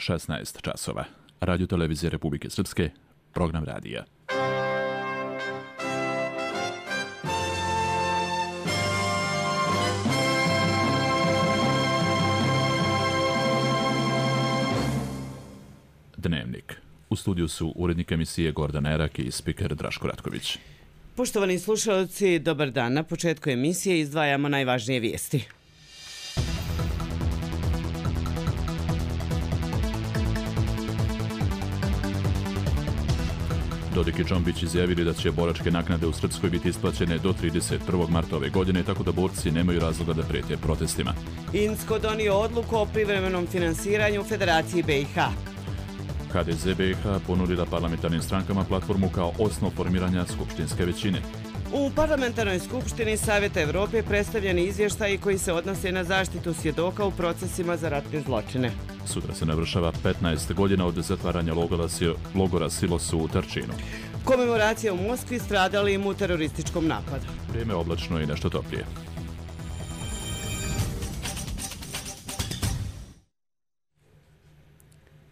16 časova. Radio televizije Republike Srpske, program radija. Dnevnik. U studiju su urednik emisije Gordan Erak i spiker Draško Ratković. Poštovani slušalci, dobar dan. Na početku emisije izdvajamo najvažnije vijesti. Dodik i Džombić izjavili da će boračke naknade u Srpskoj biti isplaćene do 31. marta ove godine, tako da borci nemaju razloga da prijete protestima. INSKO donio odluku o privremenom finansiranju Federaciji BiH. HDZ BiH ponudila parlamentarnim strankama platformu kao osnov formiranja skupštinske većine. U Parlamentarnoj skupštini Savjeta Evrope predstavljeni izvještaji koji se odnose na zaštitu svjedoka u procesima za ratne zločine. Sutra se navršava 15 godina od zatvaranja logora Silosu u Trčinu. Komemoracija u Moskvi stradalim u terorističkom napadu. Vrijeme oblačno i nešto toplije.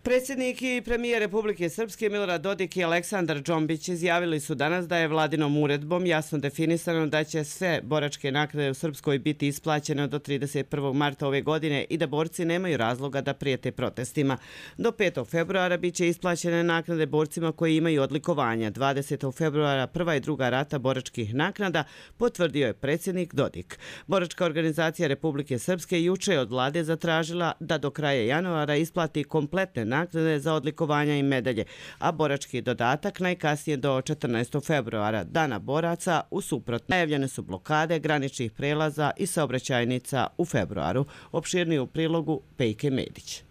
Predsjednik i premijer Republike Srpske Milorad Dodik i Aleksandar Džombić izjavili su danas da je vladinom uredbom jasno definisano da će sve boračke naknade u Srpskoj biti isplaćene do 31. marta ove godine i da borci nemaju razloga da prijete protestima. Do 5. februara bit će isplaćene naknade borcima koji imaju odlikovanja. 20. februara prva i druga rata boračkih naknada, potvrdio je predsjednik Dodik. Boračka organizacija Republike Srpske juče je od vlade zatražila da do kraja januara isplati kompletne naknade za odlikovanja i medalje, a borački dodatak najkasnije do 14. februara, dana boraca. U suprotno, najavljene su blokade graničnih prelaza i saobraćajnica u februaru. Opširnije u prilogu Pejke Medić.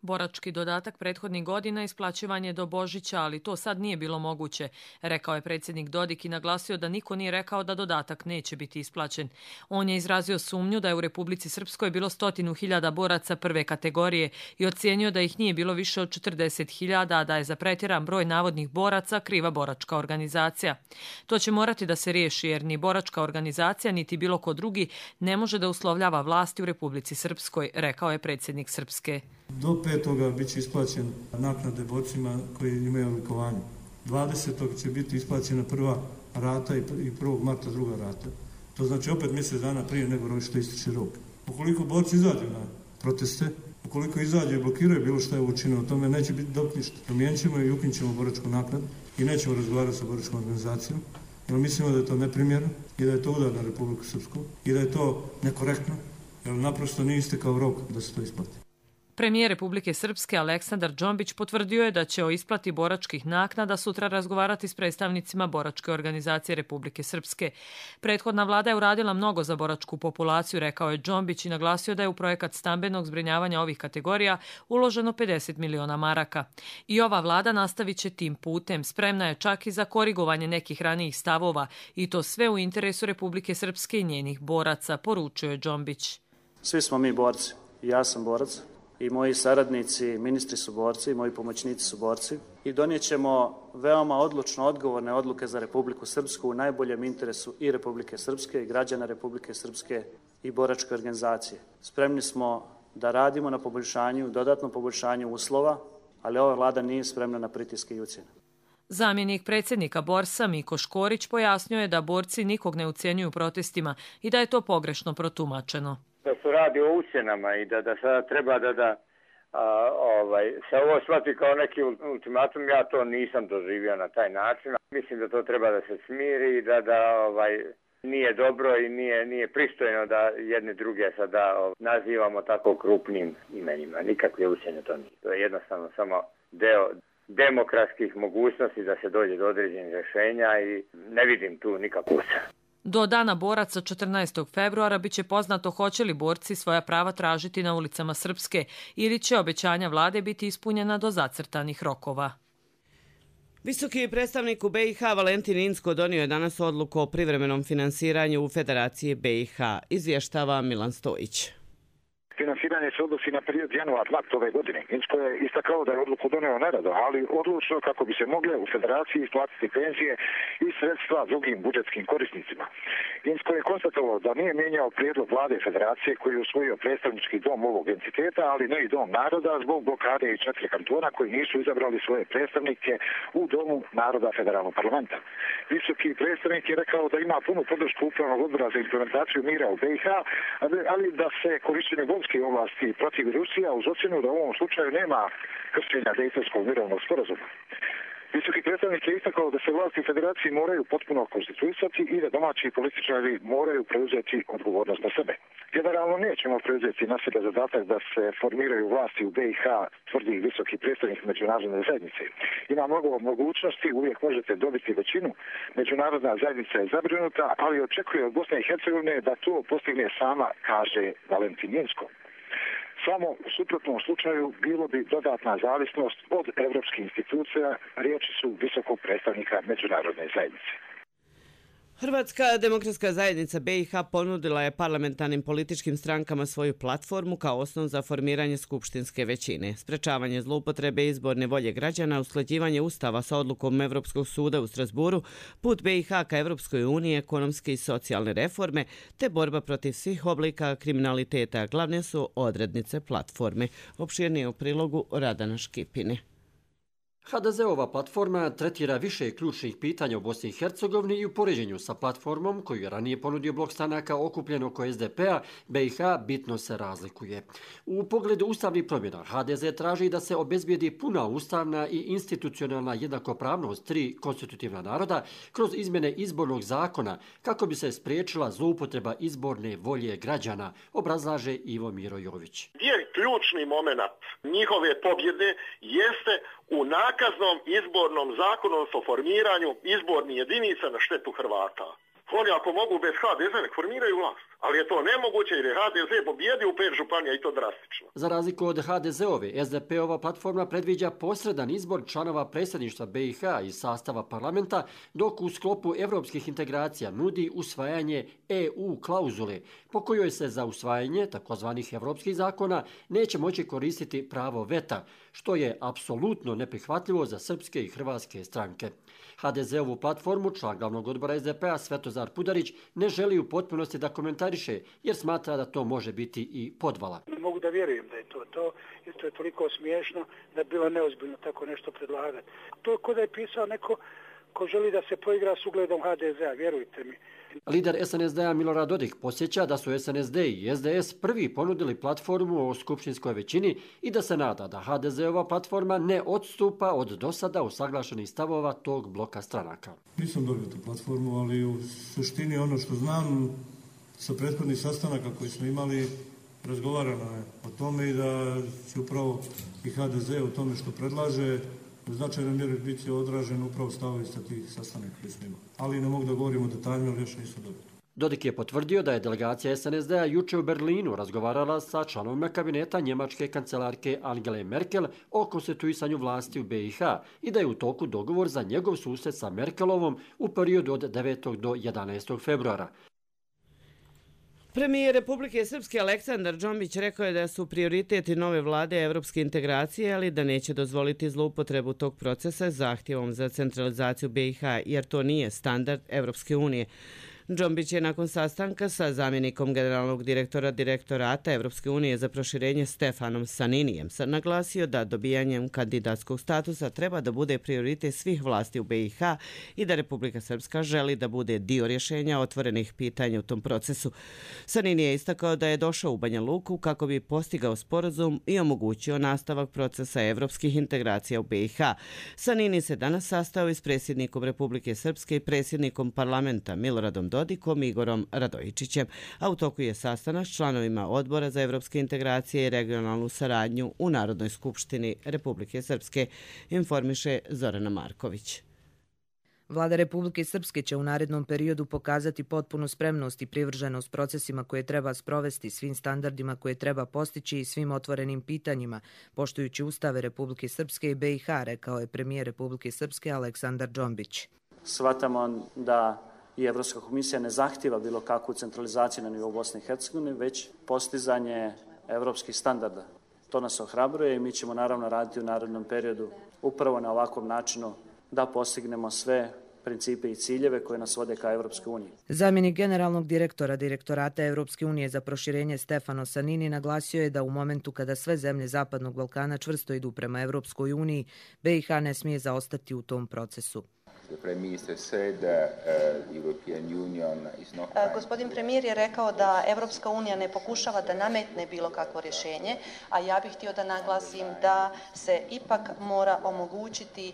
Borački dodatak prethodnih godina isplaćivan je do Božića, ali to sad nije bilo moguće, rekao je predsjednik Dodik i naglasio da niko nije rekao da dodatak neće biti isplaćen. On je izrazio sumnju da je u Republici Srpskoj bilo 100.000 boraca prve kategorije i ocijenio da ih nije bilo više od 40.000, a da je za pretjeran broj navodnih boraca kriva boračka organizacija. To će morati da se riješi jer ni boračka organizacija niti bilo ko drugi ne može da uslovljava vlasti u Republici Srpskoj, rekao je predsjednik Srpske. Do 5. bit će isplaćen naknade borcima koji imaju odlikovanje. 20. će biti isplaćena prva rata i 1. marta druga rata. To znači opet mjesec dana prije nego što ističe rok. Ukoliko borci izađu na proteste, ukoliko izađu i blokiraju bilo što je učinjeno, o tome neće biti dok ništa. Promijenit ćemo i ukinut ćemo boračku naknadu i nećemo razgovarati sa boračkom organizacijom, jer mislimo da je to neprimjerno i da je to udar na Republiku Srpsku i da je to nekorektno, jer naprosto nije istekao rok da se to isplati. Premijer Republike Srpske Aleksandar Džombić potvrdio je da će o isplati boračkih naknada sutra razgovarati s predstavnicima Boračke organizacije Republike Srpske. Prethodna vlada je uradila mnogo za boračku populaciju, rekao je Džombić i naglasio da je u projekat stambenog zbrinjavanja ovih kategorija uloženo 50 miliona maraka. I ova vlada nastavit će tim putem, spremna je čak i za korigovanje nekih ranijih stavova i to sve u interesu Republike Srpske i njenih boraca, poručio je Džombić. Svi smo mi borci. Ja sam borac. I moji saradnici, ministri su borci, moji pomoćnici su borci i donijet ćemo veoma odlučno odgovorne odluke za Republiku Srpsku u najboljem interesu i Republike Srpske i građana Republike Srpske i boračke organizacije. Spremni smo da radimo na poboljšanju, dodatnom poboljšanju uslova, ali ova vlada nije spremna na pritiske i ucjene. Zamjenik predsjednika Borsa Miko Škorić pojasnio je da borci nikog ne ucjenjuju protestima i da je to pogrešno protumačeno. Da se radi o ucjenama i da sada treba se ovo shvati kao neki ultimatum, ja to nisam doživio na taj način. Mislim da to treba da se smiri i da nije dobro i nije pristojno da jedne druge sada nazivamo tako krupnim imenima. Nikakve ucjene to nije. To je jednostavno samo deo demokratskih mogućnosti da se dođe do određenih rješenja i ne vidim tu nikakvu ucjenu. Do dana boraca 14. februara biće poznato hoće li borci svoja prava tražiti na ulicama Srpske ili će obećanja vlade biti ispunjena do zacrtanih rokova. Visoki predstavnik u BiH Valentin Inzko donio je danas odluku o privremenom finansiranju u Federaciji BiH, izvještava Milan Stojić. Finansiranje izlaganje se odnosi na period januar-mart ove godine. Insko je istakao da je odluku doneo nerado, ali odlučno kako bi se mogle u federaciji isplatiti penzije i sredstva drugim budžetskim korisnicima. Insko je konstatovao da nije mijenjao prijedlog vlade federacije koji je usvojio predstavnički dom ovog entiteta, ali ne i dom naroda zbog blokade i 4 kantona koji nisu izabrali svoje predstavnike u domu naroda federalnog parlamenta. Visoki predstavnik je rekao da ima punu podršku upravnog odbora za implementaciju mira u BiH, ali da se korištenje vojske ovlasti protiv Rusija uz ocjenu da u ovom slučaju nema kršenja Dejtonskog mirovnog sporazuma. Visoki predstavnik je istakao da se vlasti u federaciji moraju potpuno konstituisati i da domaći političari moraju preuzeti odgovornost na sebe. Generalno nećemo preuzeti na sebe zadatak da se formiraju vlasti u BiH, tvrdi visoki predstavnik međunarodne zajednice. Ima mnogo mogućnosti, uvijek možete dobiti većinu. Međunarodna zajednica je zabrinuta, ali očekuje od Bosne i Hercegovine da to postigne sama, kaže Valentin Inzko. Samo u suprotnom slučaju bilo bi dodatna zavisnost od evropskih institucija, riječi su visokog predstavnika međunarodne zajednice. Hrvatska demokratska zajednica BiH ponudila je parlamentarnim političkim strankama svoju platformu kao osnov za formiranje skupštinske većine. Sprečavanje zloupotrebe izborne volje građana, usklađivanje ustava sa odlukom Evropskog suda u Strasburu, put BiH ka Evropskoj uniji, ekonomske i socijalne reforme, te borba protiv svih oblika kriminaliteta glavne su odrednice platforme. Opširnije u prilogu Radana Škipine. HDZ-ova platforma tretira više ključnih pitanja u Bosni i Hercegovini i u poređenju sa platformom koju je ranije ponudio blok stranaka okupljen oko SDP-a, BiH bitno se razlikuje. U pogledu ustavnih promjena HDZ traži da se obezbijedi puna ustavna i institucionalna jednakopravnost 3 konstitutivna naroda kroz izmjene izbornog zakona kako bi se spriječila zloupotreba izborne volje građana, obrazlaže Ivo Miro Jović. Gdje je ključni moment njihove pobjede jeste u nakaznom izbornom zakonu o formiranju izbornih jedinica na štetu Hrvata. Oni ako mogu bez HDZ nek formiraju vlast, ali je to nemoguće jer je HDZ pobjedio u 5 županija i to drastično. Za razliku od HDZ-ove, SDP-ova platforma predviđa posredan izbor članova predsjedništva BiH iz sastava parlamenta, dok u sklopu evropskih integracija nudi usvajanje EU klauzule, po kojoj se za usvajanje takozvanih evropskih zakona neće moći koristiti pravo veta, što je apsolutno neprihvatljivo za srpske i hrvatske stranke. HDZ-ovu platformu član glavnog odbora SDP-a Svetozar Pudarić ne želi u potpunosti da komentariše jer smatra da to može biti i podvala. Ne mogu da vjerujem da je to jer to je toliko smiješno da je bilo neozbiljno tako nešto predlagati. To je kod da je pisao neko ko želi da se poigra s ugledom HDZ-a, vjerujte mi. Lider SNSD-a Milorad Dodik podsjeća da su SNSD i SDS prvi ponudili platformu o skupštinskoj većini i da se nada da HDZ-ova platforma ne odstupa od dosada usaglašenih stavova tog bloka stranaka. Nisam dobio tu platformu, ali u suštini ono što znam sa prethodnih sastanaka koji smo imali, razgovarano je o tome i da će upravo i HDZ o tome što predlaže u značajnoj mjeri biti odražen upravo stavovi sa tih sastanaka koji smo imali. Ali ne mogu da govorimo detaljno, ali još nisam dobio. Dodik je potvrdio da je delegacija SNSD-a juče u Berlinu razgovarala sa članovima kabineta njemačke kancelarke Angele Merkel o konstituisanju vlasti u BiH i da je u toku dogovor za njegov susret sa Merkelovom u periodu od 9. do 11. februara. Premijer Republike Srpske Aleksandar Džombić rekao je da su prioriteti nove vlade evropske integracije, ali da neće dozvoliti zloupotrebu tog procesa zahtjevom za centralizaciju BiH, jer to nije standard Evropske unije. Džombić je nakon sastanka sa zamjenikom generalnog direktora Direktorata Evropske unije za proširenje Stefanom Saninijem naglasio da dobijanjem kandidatskog statusa treba da bude prioritet svih vlasti u BiH i da Republika Srpska želi da bude dio rješenja otvorenih pitanja u tom procesu. Sanini je istakao da je došao u Banja Luku kako bi postigao sporazum i omogućio nastavak procesa evropskih integracija u BiH. Sanini se danas sastao i s predsjednikom Republike Srpske i predsjednikom parlamenta Miloradom Dodikom i Igorom Radojičićem, a u toku je sastanak s članovima Odbora za evropske integracije i regionalnu saradnju u Narodnoj skupštini Republike Srpske, informiše Zorana Marković. Vlada Republike Srpske će u narednom periodu pokazati potpunu spremnost i privrženost procesima koje treba sprovesti, svim standardima koje treba postići i svim otvorenim pitanjima, poštujući ustave Republike Srpske i BiH, rekao je premijer Republike Srpske Aleksandar Džombić. Shvatamo da i Evropska komisija ne zahtjeva bilo kakvu centralizaciju na nivou Bosne i Hercegovine, već postizanje evropskih standarda. To nas ohrabruje i mi ćemo naravno raditi u narednom periodu upravo na ovakvom načinu da postignemo sve principe i ciljeve koje nas vode ka Evropskoj uniji. Zamjenik generalnog direktora Direktorata Evropske unije za proširenje Stefano Sanini naglasio je da u momentu kada sve zemlje Zapadnog Balkana čvrsto idu prema Evropskoj uniji, BiH ne smije zaostati u tom procesu. Gospodin premijer je rekao da Evropska unija ne pokušava da nametne bilo kakvo rješenje, a ja bih htio da naglasim da se ipak mora omogućiti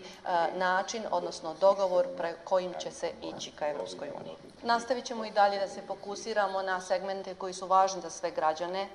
način, odnosno dogovor kojim će se ići ka Evropskoj uniji. Nastavit ćemo i dalje da se fokusiramo na segmente koji su važni za sve građane.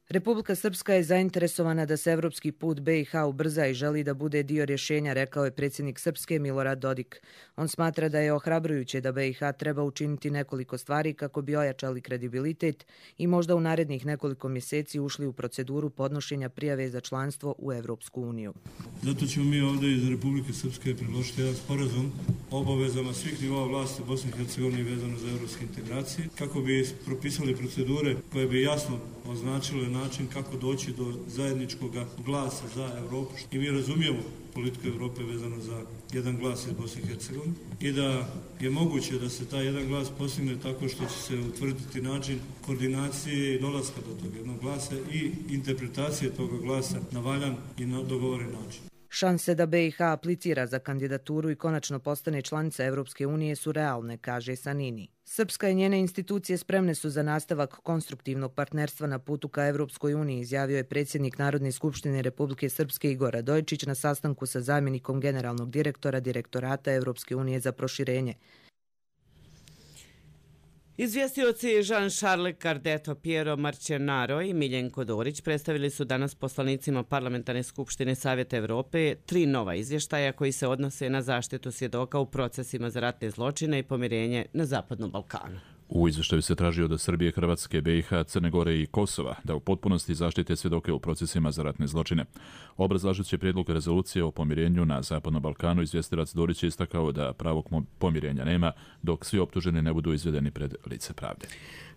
Republika Srpska je zainteresovana da se evropski put BiH ubrza i želi da bude dio rješenja, rekao je predsjednik Srpske Milorad Dodik. On smatra da je ohrabrujuće da BiH treba učiniti nekoliko stvari kako bi ojačali kredibilitet i možda u narednih nekoliko mjeseci ušli u proceduru podnošenja prijave za članstvo u Evropsku uniju. Zato ćemo mi ovdje iz Republike Srpske predložiti jedan sporazum o obavezama svih nivoa vlasti Bosne i Hercegovine vezano za evropske integracije, kako bi propisali procedure koje bi jasno označile način kako doći do zajedničkog glasa za Evropu. I mi razumijemo politiku Evrope vezano za jedan glas iz Bosne i Hercegovine i da je moguće da se taj jedan glas postigne tako što će se utvrditi način koordinacije i dolaska do tog jednog glasa i interpretacije toga glasa na valjan i na dogovoren način. Šanse da BiH aplicira za kandidaturu i konačno postane članica Evropske unije su realne, kaže Sanini. Srpska i njene institucije spremne su za nastavak konstruktivnog partnerstva na putu ka Evropskoj uniji, izjavio je predsjednik Narodne skupštine Republike Srpske Igor Radojičić na sastanku sa zamjenikom generalnog direktora Direktorata Evropske unije za proširenje. Izvjestioci Jean-Charles Cardeto, Piero Marcenaro i Miljenko Dorić predstavili su danas poslanicima Parlamentarne skupštine Savjeta Evrope 3 nova izvještaja koji se odnose na zaštitu svjedoka u procesima za ratne zločine i pomirenje na Zapadnom Balkanu. U izvještaju se traži od Srbije, Hrvatske, BiH, Crne Gore i Kosova da u potpunosti zaštite svjedoke u procesima za ratne zločine. Obrazlažući prijedlog rezolucije o pomirenju na Zapadnom Balkanu, izvjestilac Dorić je istakao da pravog pomirenja nema dok svi optuženi ne budu izvedeni pred lice pravde.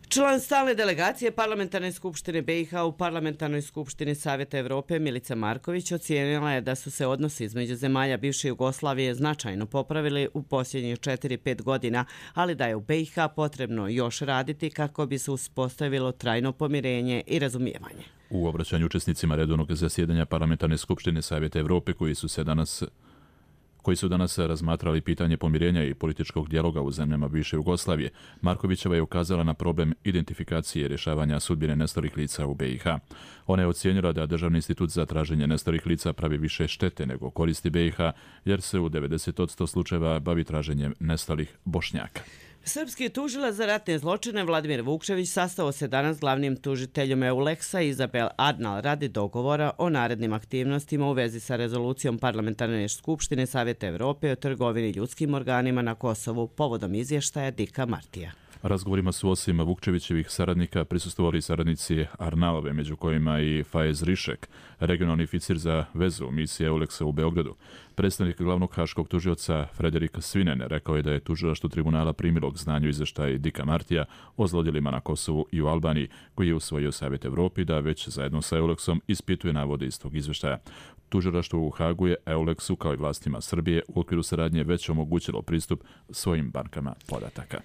Član stalne delegacije Parlamentarne skupštine BiH u Parlamentarnoj skupštini Savjeta Evrope Milica Marković ocijenila je da su se odnosi između zemalja bivše Jugoslavije značajno popravili u posljednjih 4-5 godina, ali da je u BiH potrebno još raditi kako bi se uspostavilo trajno pomirenje i razumijevanje. U obraćanju učesnicima redovnog zasjedanja Parlamentarne skupštine Savjeta Evrope koji su danas razmatrali pitanje pomirenja i političkog dijaloga u zemljama bivše Jugoslavije, Markovićeva je ukazala na problem identifikacije i rješavanja sudbine nestalih lica u BiH. Ona je ocijenila da Državni institut za traženje nestalih lica pravi više štete nego koristi BiH, jer se u 90% slučajeva bavi traženjem nestalih Bošnjaka. Srpski tužilac za ratne zločine Vladimir Vukčević sastao se danas s glavnim tužiteljom EULEX-a Izabel Adnal radi dogovora o narednim aktivnostima u vezi sa rezolucijom Parlamentarne skupštine Savjeta Evrope o trgovini ljudskim organima na Kosovu povodom izvještaja Dika Martija. Razgovorima su osim Vukčevićevih saradnika prisustvovali saradnici Arnalove, među kojima i Faiz Rišek, regionalni oficir za vezu misije EULEX-a u Beogradu. Predstavnik glavnog haškog tužioca Frederik Svinen rekao je da je tužilaštvo tribunala primilo k znanju izvještaj Dika Martija o zlodjelima na Kosovu i u Albaniji, koji je usvojio Savjet Evropi da već zajedno sa EULEX-om ispituje navode iz tog izvještaja. Tužilaštvo u Hagu je EULEX-u kao i vlastima Srbije u okviru saradnje već omogućilo pristup svojim bankama podataka.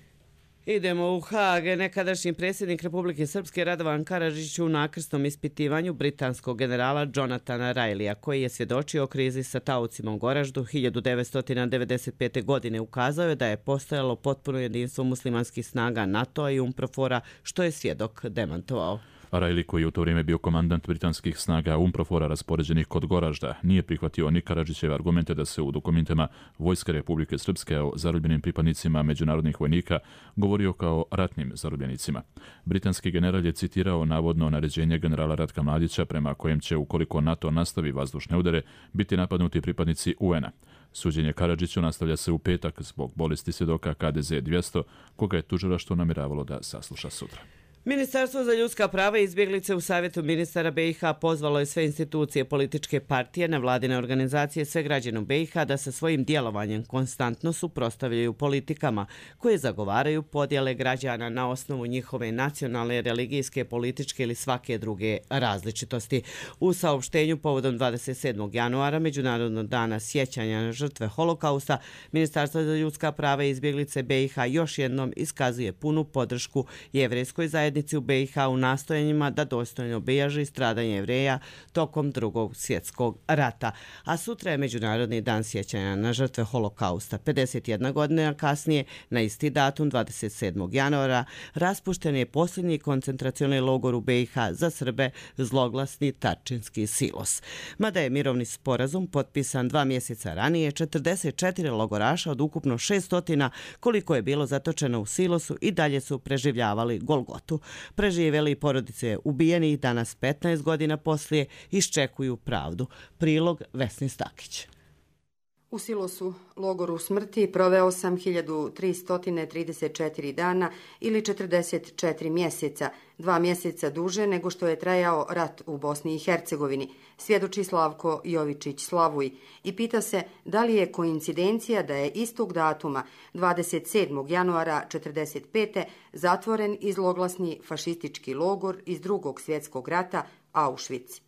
Idemo u Haag. Nekadašnji predsjednik Republike Srpske Radovan Karadžić u nakrsnom ispitivanju britanskog generala Jonathana Rileya, koji je svjedočio o krizi sa taocima u Goraždu 1995. godine, ukazao je da je postojalo potpuno jedinstvo muslimanskih snaga NATO-a i UNPROFOR-a, što je svjedok demantovao. Riley, koji je u to vrijeme bio komandant britanskih snaga UNPROFOR-a raspoređenih kod Goražda, nije prihvatio ni Karadžićeve argumente da se u dokumentima Vojske Republike Srpske o zarobljenim pripadnicima međunarodnih vojnika govorio kao ratnim zarobljenicima. Britanski general je citirao navodno naređenje generala Ratka Mladića prema kojem će, ukoliko NATO nastavi vazdušne udare, biti napadnuti pripadnici UN-a. Suđenje Karadžiću nastavlja se u petak zbog bolesti svjedoka KDZ 200, koga je tužilaštvo namjeravalo da sasluša sutra. Ministarstvo za ljudska prava i izbjeglice u Savjetu ministara BiH pozvalo je sve institucije, političke partije, nevladine organizacije, sve građane u BiH da sa svojim djelovanjem konstantno suprotstavljaju politikama koje zagovaraju podjele građana na osnovu njihove nacionalne, religijske, političke ili svake druge različitosti. U saopštenju povodom 27. januara, Međunarodnog dana sjećanja na žrtve holokausta, Ministarstvo za ljudska prava i izbjeglice BiH još jednom iskazuje punu podršku jevrejskoj zajednici u BiH u nastojanjima da dostojno obilježi stradanje Jevreja tokom Drugog svjetskog rata. A sutra je Međunarodni dan sjećanja na žrtve holokausta. 51 godina kasnije, na isti datum 27. januara, raspušten je posljednji koncentracioni logor u BiH za Srbe, zloglasni Tarčinski silos. Mada je mirovni sporazum potpisan 2 mjeseca ranije, 44 logoraša od ukupno 600 koliko je bilo zatočeno u silosu i dalje su preživljavali Golgotu. Preživjeli porodice ubijenih danas 15 godina poslije iščekuju pravdu. Prilog Vesni Stakić. U silosu, logoru smrti, proveo sam 1334 dana ili 44 mjeseca, 2 mjeseca duže nego što je trajao rat u Bosni i Hercegovini, svjedoči Slavko Jovičić Slavuj i pita se da li je koincidencija da je istog datuma, 27. januara 1945. zatvoren i zloglasni fašistički logor iz Drugog svjetskog rata Auschwitz.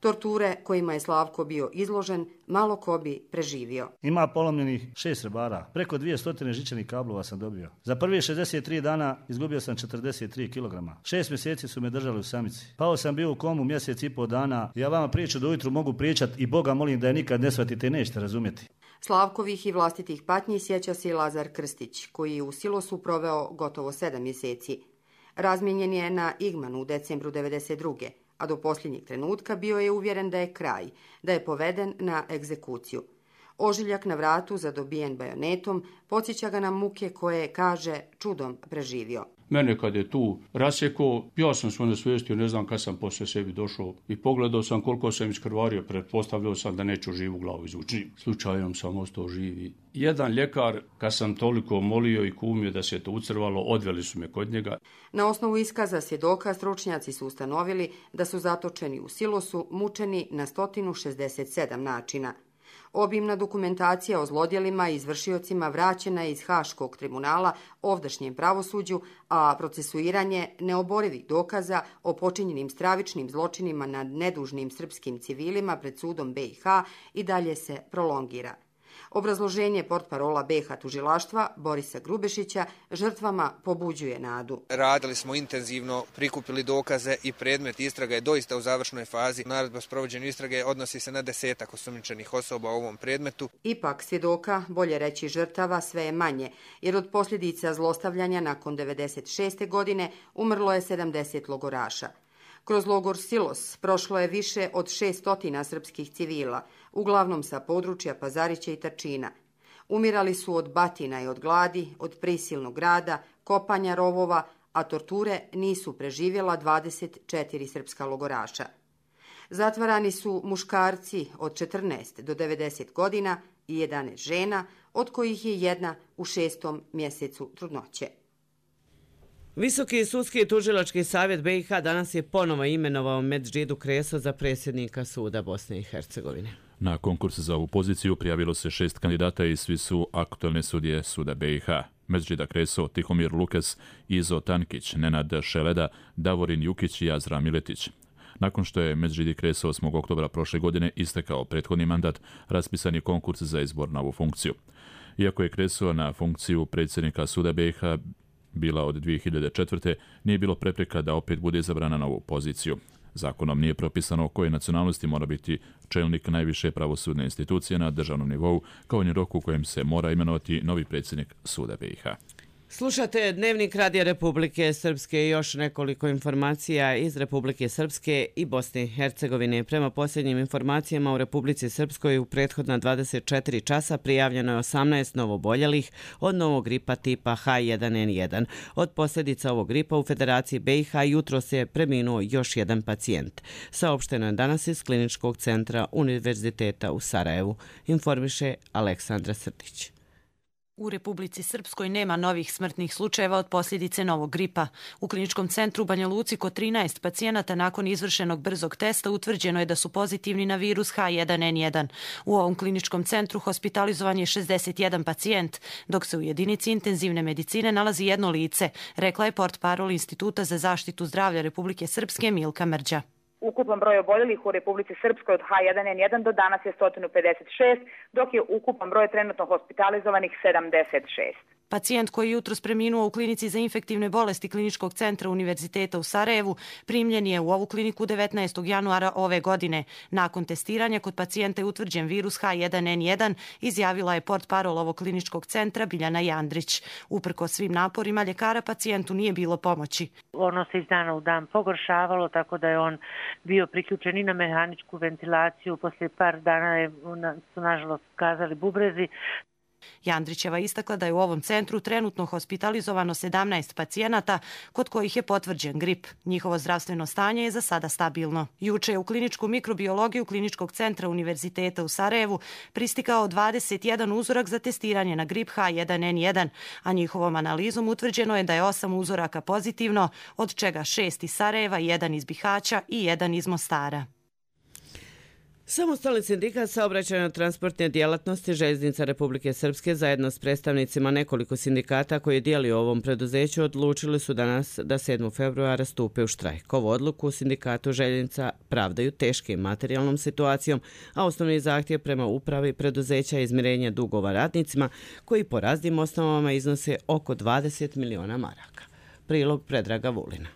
Torture kojima je Slavko bio izložen, malo ko bi preživio. Ima polomljenih 6 rebara, preko 200 žičanih kablova sam dobio. Za prvih 63 dana izgubio sam 43 kg. 6 mjeseci su me držali u samici. Pao sam bio u komu mjesec i pol dana. Ja vama priču do ujutru mogu pričat i Boga molim da je nikad ne shvatite i nećete razumjeti. Slavkovih i vlastitih patnji sjeća se i Lazar Krstić, koji je u silosu proveo gotovo 7 mjeseci. Razmijenjen je na Igmanu u decembru 1992. a do posljednjeg trenutka bio je uvjeren da je kraj, da je poveden na egzekuciju. Ožiljak na vratu, zadobijen bajonetom, podsjeća ga na muke koje, kaže, čudom preživio. Mene kad je tu rasjekao, ja sam se onesvijestio, ne znam kad sam poslije sebi došao i pogledao sam koliko sam iskrvario, pretpostavljao sam da neću živu glavu izvući. Slučajom sam ostao živi. Jedan ljekar, kad sam toliko molio i kumio da se to ucrvalo, odveli su me kod njega. Na osnovu iskaza svjedoka stručnjaci su ustanovili da su zatočeni u silosu mučeni na 167 načina. Obimna dokumentacija o zlodjelima i izvršiocima vraćena je iz Haškog tribunala ovdašnjem pravosuđu, a procesuiranje neoborivih dokaza o počinjenim stravičnim zločinima nad nedužnim srpskim civilima pred sudom BiH i dalje se prolongira. Obrazloženje portparola BiH tužilaštva Borisa Grubešića žrtvama pobuđuje nadu. Radili smo intenzivno, prikupili dokaze i predmet istraga je doista u završnoj fazi. Naredba o sprovođenju istrage odnosi se na 10 osumnjičenih osoba u ovom predmetu. Ipak svjedoka, bolje reći žrtava, sve je manje, jer od posljedica zlostavljanja nakon 1996. godine umrlo je 70 logoraša. Kroz logor Silos prošlo je više od 600 srpskih civila, uglavnom sa područja Pazarića i Trčina. Umirali su od batina i od gladi, od prisilnog rada, kopanja rovova, a torture nisu preživjela 24 srpska logoraša. Zatvarani su muškarci od 14 do 90 godina i 11 žena, od kojih je jedna u 6. mjesecu trudnoće. Visoki sudski i tužilački savjet BiH danas je ponovo imenovao Medžidu Kreso za predsjednika suda Bosne i Hercegovine. Na konkurs za ovu poziciju prijavilo se 6 kandidata i svi su aktualne sudije suda BiH. Medžida Kreso, Tihomir Lukes, Izo Tankić, Nenad Šeleda, Davorin Jukić i Azra Miletić. Nakon što je Medžidi Kreso 8. oktobra prošle godine istekao prethodni mandat, raspisan je konkurs za izbor na ovu funkciju. Iako je Kreso na funkciju predsjednika suda BiH bila od 2004. nije bilo prepreka da opet bude izabrana na ovu poziciju. Zakonom nije propisano koje nacionalnosti mora biti čelnik najviše pravosudne institucije na državnom nivou, kao ni rok u kojem se mora imenovati novi predsjednik suda BiH. Slušate Dnevnik Radija Republike Srpske i još nekoliko informacija iz Republike Srpske i Bosne i Hercegovine. Prema posljednjim informacijama u Republici Srpskoj u prethodna 24 časa prijavljeno je 18 novoboljelih od novog gripa tipa H1N1. Od posljedica ovog gripa u Federaciji BiH jutros je preminuo još jedan pacijent. Saopšteno je danas iz Kliničkog centra Univerziteta u Sarajevu, informiše Aleksandra Srdić. U Republici Srpskoj nema novih smrtnih slučajeva od posljedice novog gripa. U kliničkom centru u Banja Luci kod 13 pacijenata nakon izvršenog brzog testa utvrđeno je da su pozitivni na virus H1N1. U ovom kliničkom centru hospitalizovan je 61 pacijent, dok se u jedinici intenzivne medicine nalazi jedno lice, rekla je portparol Instituta za zaštitu zdravlja Republike Srpske Milka Mrđa. Ukupan broj oboljelih u Republici Srpskoj od H1N1 do danas je 156, dok je ukupan broj trenutno hospitalizovanih 76. Pacijent koji je jutros preminuo u klinici za infektivne bolesti Kliničkog centra Univerziteta u Sarajevu primljen je u ovu kliniku 19. januara ove godine. Nakon testiranja kod pacijenta je utvrđen virus H1N1, izjavila je portparol ovog kliničkog centra Biljana Jandrić. Uprkos svim naporima ljekara pacijentu nije bilo pomoći. Ono se iz dana u dan pogoršavalo, tako da je on bio priključen i na mehaničku ventilaciju. Poslije par dana su nažalost kazali bubrezi. Jandrićeva istakla da je u ovom centru trenutno hospitalizovano 17 pacijenata kod kojih je potvrđen grip. Njihovo zdravstveno stanje je za sada stabilno. Juče je u kliničku mikrobiologiju Kliničkog centra Univerziteta u Sarajevu pristigao 21 uzorak za testiranje na grip H1N1, a njihovom analizom utvrđeno je da je 8 uzoraka pozitivno, od čega 6 iz Sarajeva, 1 iz Bihaća i 1 iz Mostara. Samostalni sindikat saobraćajno-transportne djelatnosti Željeznica Republike Srpske zajedno s predstavnicima nekoliko sindikata koji dijeli u ovom preduzeću odlučili su danas da 7. februara stupe u štrajk. Ovu odluku u sindikatu Željeznica pravdaju teškim materijalnom situacijom, a osnovni zahtjev prema upravi preduzeća je izmirenje dugova radnicima koji po raznim osnovama iznose oko 20 miliona maraka. Prilog Predraga Vulina.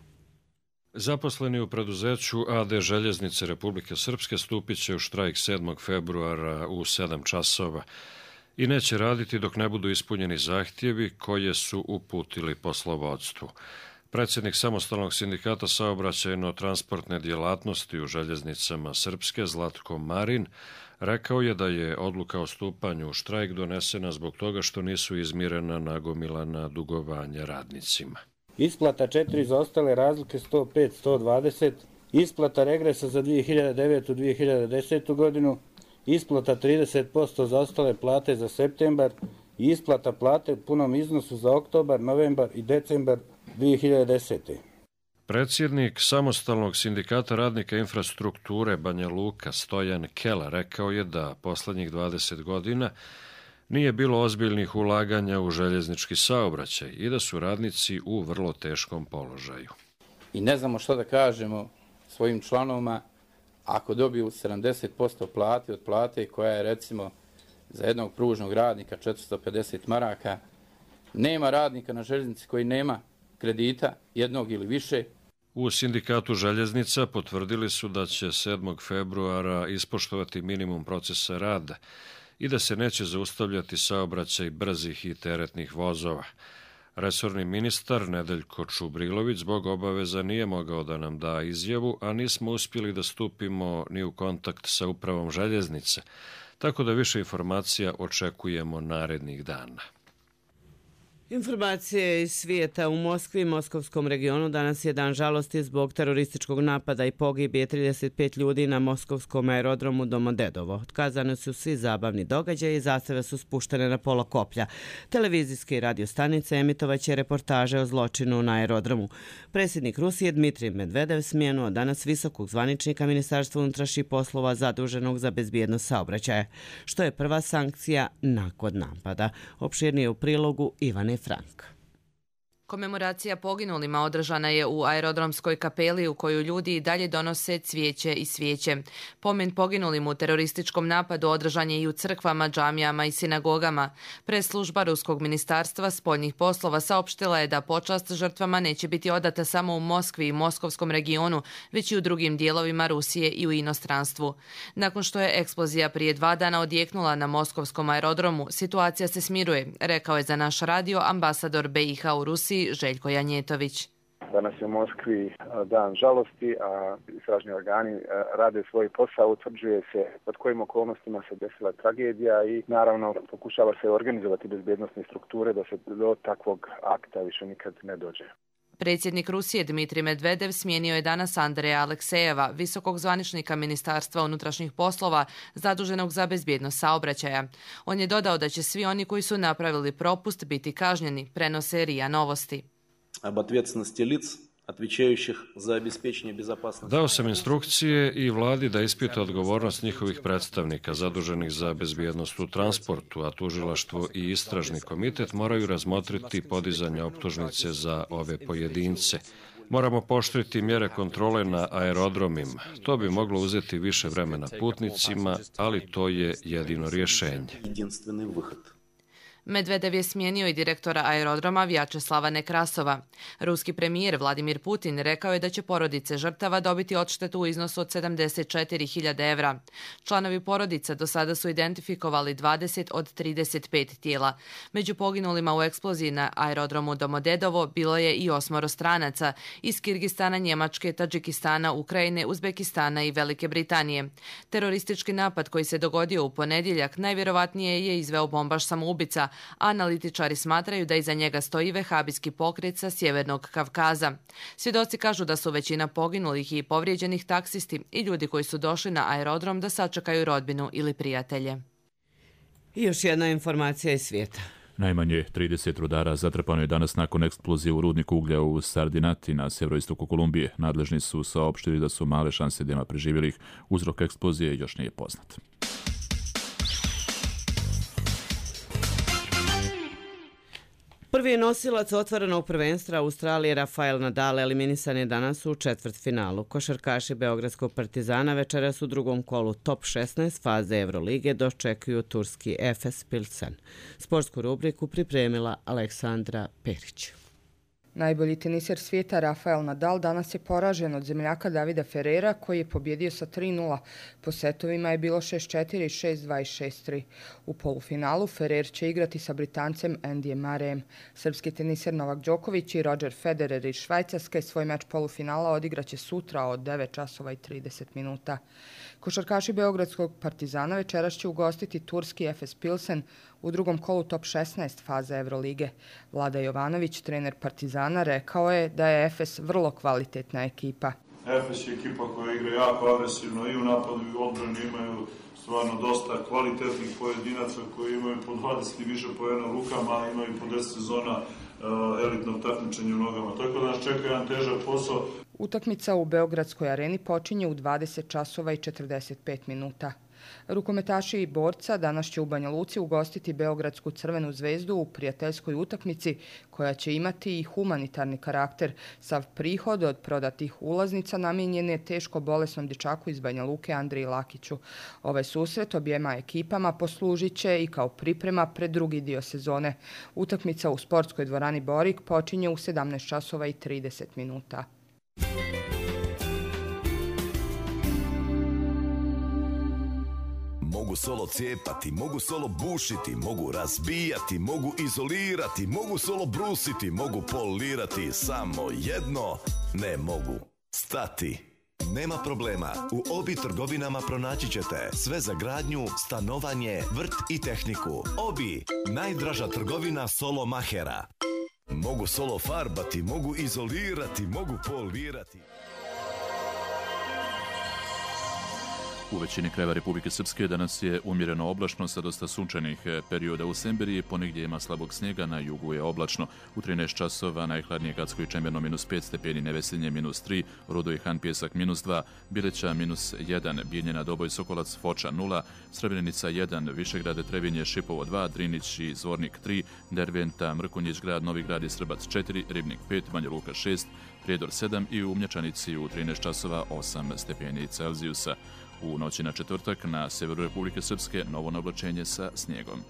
Zaposleni u preduzeću AD Željeznice Republike Srpske stupit će u štrajk 7. februara u 7 časova i neće raditi dok ne budu ispunjeni zahtjevi koje su uputili poslovodstvu. Predsjednik Samostalnog sindikata saobraćajno-transportne djelatnosti u Željeznicama Srpske Zlatko Marin rekao je da je odluka o stupanju u štrajk donesena zbog toga što nisu izmirena nagomilana dugovanja radnicima. Isplata 4 za ostale razlike 105-120, isplata regresa za 2009-2010. godinu, isplata 30% za ostale plate za septembar i isplata plate u punom iznosu za oktobar, novembar i decembar 2010. Predsjednik Samostalnog sindikata radnika infrastrukture Banja Luka Stojan Kela rekao je da posljednjih 20 godina nije bilo ozbiljnih ulaganja u željeznički saobraćaj i da su radnici u vrlo teškom položaju. I ne znamo što da kažemo svojim članovima ako dobiju 70% plate od plate koja je recimo za jednog pružnog radnika 450 maraka. Nema radnika na željeznici koji nema kredita jednog ili više. U sindikatu željeznica potvrdili su da će 7. februara ispoštovati minimum procesa rada i da se neće zaustavljati saobraćaj brzih i teretnih vozova. Resorni ministar Nedeljko Čubrilović zbog obaveza nije mogao da nam da izjavu, a nismo uspjeli da stupimo ni u kontakt sa upravom željeznice, tako da više informacija očekujemo narednih dana. Informacije iz svijeta. U Moskvi i moskovskom regionu danas je dan žalosti zbog terorističkog napada i pogibije 35 ljudi na moskovskom aerodromu Domodedovo. Otkazani su svi zabavni događaji i zastave su spuštene na polukoplja. Televizijske i radio stanice emitovaće reportaže o zločinu na aerodromu. Predsjednik Rusije Dmitrij Medvedev smijenuo danas visokog zvaničnika Ministarstva unutrašnjih poslova zaduženog za bezbjednost saobraćaja, što je prva sankcija nakon napada. Opširnije u prilogu Ivane Frank. Komemoracija poginulima održana je u aerodromskoj kapeli u koju ljudi i dalje donose cvijeće i svijeće. Pomen poginulim u terorističkom napadu održan je i u crkvama, džamijama i sinagogama. Preslužba Ruskog ministarstva spoljnih poslova saopštila je da počast žrtvama neće biti odata samo u Moskvi i moskovskom regionu, već i u drugim dijelovima Rusije i u inostranstvu. Nakon što je eksplozija prije 2 dana odjeknula na moskovskom aerodromu, situacija se smiruje, rekao je za naš radio ambasador BiH u Rusiji Željko Janjetović. Danas je u Moskvi dan žalosti, a istražni organi rade svoj posao, utvrđuje se pod kojim okolnostima se desila tragedija i naravno pokušava se organizovati bezbjednostne strukture da se do takvog akta više nikad ne dođe. Predsjednik Rusije Dmitrij Medvedev smijenio je danas Andreja Aleksejeva, visokog zvaničnika Ministarstva unutrašnjih poslova zaduženog za bezbjednost saobraćaja. On je dodao da će svi oni koji su napravili propust biti kažnjeni, prenose RIA Novosti. Dao sam instrukcije i vladi da ispita odgovornost njihovih predstavnika zaduženih za bezbjednost u transportu, a tužilaštvo i istražni komitet moraju razmotriti podizanje optužnice za ove pojedince. Moramo pooštriti mjere kontrole na aerodromima. To bi moglo uzeti više vremena putnicima, ali to je jedino rješenje. Medvedev je smijenio i direktora aerodroma Vjačeslava Nekrasova. Ruski premijer Vladimir Putin rekao je da će porodice žrtava dobiti odštetu u iznosu od 74.000 evra. Članovi porodica do sada su identifikovali 20 od 35 tijela. Među poginulima u eksploziji na aerodromu Domodedovo bilo je i 8 stranaca iz Kirgistana, Njemačke, Tadžikistana, Ukrajine, Uzbekistana i Velike Britanije. Teroristički napad koji se dogodio u ponedjeljak najvjerovatnije je izveo bombaš samoubica, a analitičari smatraju da iza njega stoji vehabijski pokret sa Sjevernog Kavkaza. Svjedoci kažu da su većina poginulih i povrijeđenih taksisti i ljudi koji su došli na aerodrom da sačekaju rodbinu ili prijatelje. I još jedna informacija iz svijeta. Najmanje 30 rudara zatrpano je danas nakon eksplozije u rudniku uglja u Sardinati na sjeveroistoku Kolumbije. Nadležni su saopštili da su male šanse da ima preživjelih. Uzrok eksplozije još nije poznat. Prvi nosilac otvorenog prvenstva Australije Rafael Nadal eliminisan je danas u četvrtfinalu. Košarkaši Beogradskog Partizana večeras u drugom kolu top 16 faze Evrolige dočekuju turski Efes Pilsen. Sportsku rubriku pripremila Aleksandra Perić. Najbolji teniser svijeta Rafael Nadal danas je poražen od zemljaka Davida Ferrera koji je pobjedio sa 3-0. Po setovima je bilo 6-4, 6-2 i 6-3. U polufinalu Ferrer će igrati sa Britancem Andyjem Murrayem. Srpski teniser Novak Đoković i Roger Federer iz Švajcarske svoj meč polufinala odigraće sutra od 9 časova i 30 minuta. Košarkaši Beogradskog Partizana večeras će ugostiti turski Efes Pilsen u drugom kolu top 16 faze Evrolige. Vlada Jovanović, trener Partizana, rekao je da je Efes vrlo kvalitetna ekipa. Efes je ekipa koja igra jako agresivno i u napadu i u odbrani, imaju stvarno dosta kvalitetnih pojedinaca koji imaju po 20 i više poena u rukama, imaju po 10 sezona elitnog takmičenja u nogama. Tako da nas čeka jedan težak posao. Utakmica u Beogradskoj areni počinje u 20 časova i 45 minuta. Rukometaši i borca danas će u Banja Luci ugostiti Beogradsku Crvenu zvezdu u prijateljskoj utakmici koja će imati i humanitarni karakter. Sav prihod od prodatih ulaznica namijenjen je teško bolesnom dječaku iz Banja Luke Andriji Lakiću. Ovaj susret objema ekipama poslužit će i kao priprema pred drugi dio sezone. Utakmica u sportskoj dvorani Borik počinje u 17 časova i 30 minuta. Mogu solo cijepati, mogu solo bušiti, mogu razbijati, mogu izolirati, mogu solo brusiti, mogu polirati, samo jedno ne mogu. Stati. Nema problema, u Obi trgovinama pronaći ćete sve za gradnju, stanovanje, vrt i tehniku. Obi, najdraža trgovina solo mahera. Mogu solo farbati, mogu izolirati, mogu polirati. U većini krajeva Republike Srpske danas je umjereno oblačno sa dosta sunčanih perioda u Semberiji, ponegdje ima slabog snijega, na jugu je oblačno. U 13 časova najhladnije Gacko i Čemerno -5 stepeni, Nevesinje -3, Rudo i Han Pjesak -2, Bileća -1, Bijeljina, Doboj, Sokolac, Foča 0, Srebrenica 1, Višegrade, Trevinje, Šipovo 2, Drinić i Zvornik 3, Derventa, Mrkonjić grad, Novi grad i Srbac 4, Ribnik 5, Banja Luka 6, Prijedor 7 i u Mlječanici u 13 časova 8 stepeni Celzijusa. U noći na četvrtak na severu Republike Srpske novo oblačenje sa snijegom.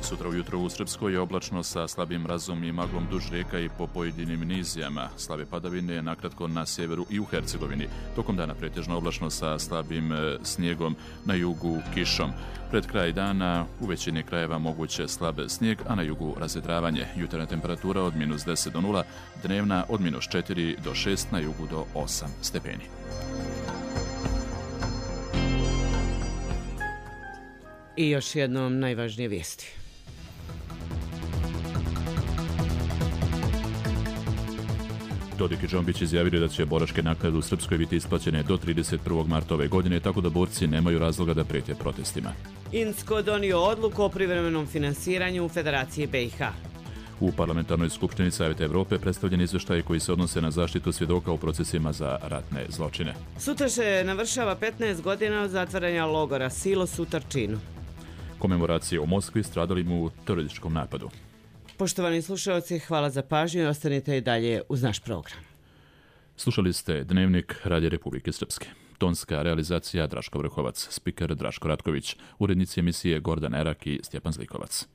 Sutra ujutro u Srpskoj je oblačno sa slabim mrazom i maglom duž rijeka i po pojedinim nizijama. Slabe padavine nakratko na sjeveru i u Hercegovini. Tokom dana pretežno oblačno sa slabim snijegom, na jugu kišom. Pred kraj dana u većini krajeva moguće slab snijeg, a na jugu razvedravanje. Jutarnja temperatura od -10 do 0, dnevna od -4 do 6, na jugu do 8 stepeni. I još jednom najvažnije vijesti. Dodik i Džombić izjavili da će boračke naknade u Srpskoj biti isplaćene do 31. marta ove godine, tako da borci nemaju razloga da prijete protestima. INSKO donio odluku o privremenom finansiranju u Federaciji BiH. U Parlamentarnoj skupštini Savjeta Evrope predstavljen izveštaj koji se odnose na zaštitu svjedoka u procesima za ratne zločine. Sutra se navršava 15 godina od zatvaranja logora Silos u Trčinu. Komemoracije u Moskvi stradalim u terorističkom napadu. Poštovani slušalci, hvala za pažnju i ostanite i dalje uz naš program. Slušali ste Dnevnik Radija Republike Srpske. Tonska realizacija Draško Vrhovac, spiker Draško Ratković, urednici emisije Gordan Erak i Stjepan Zlikovac.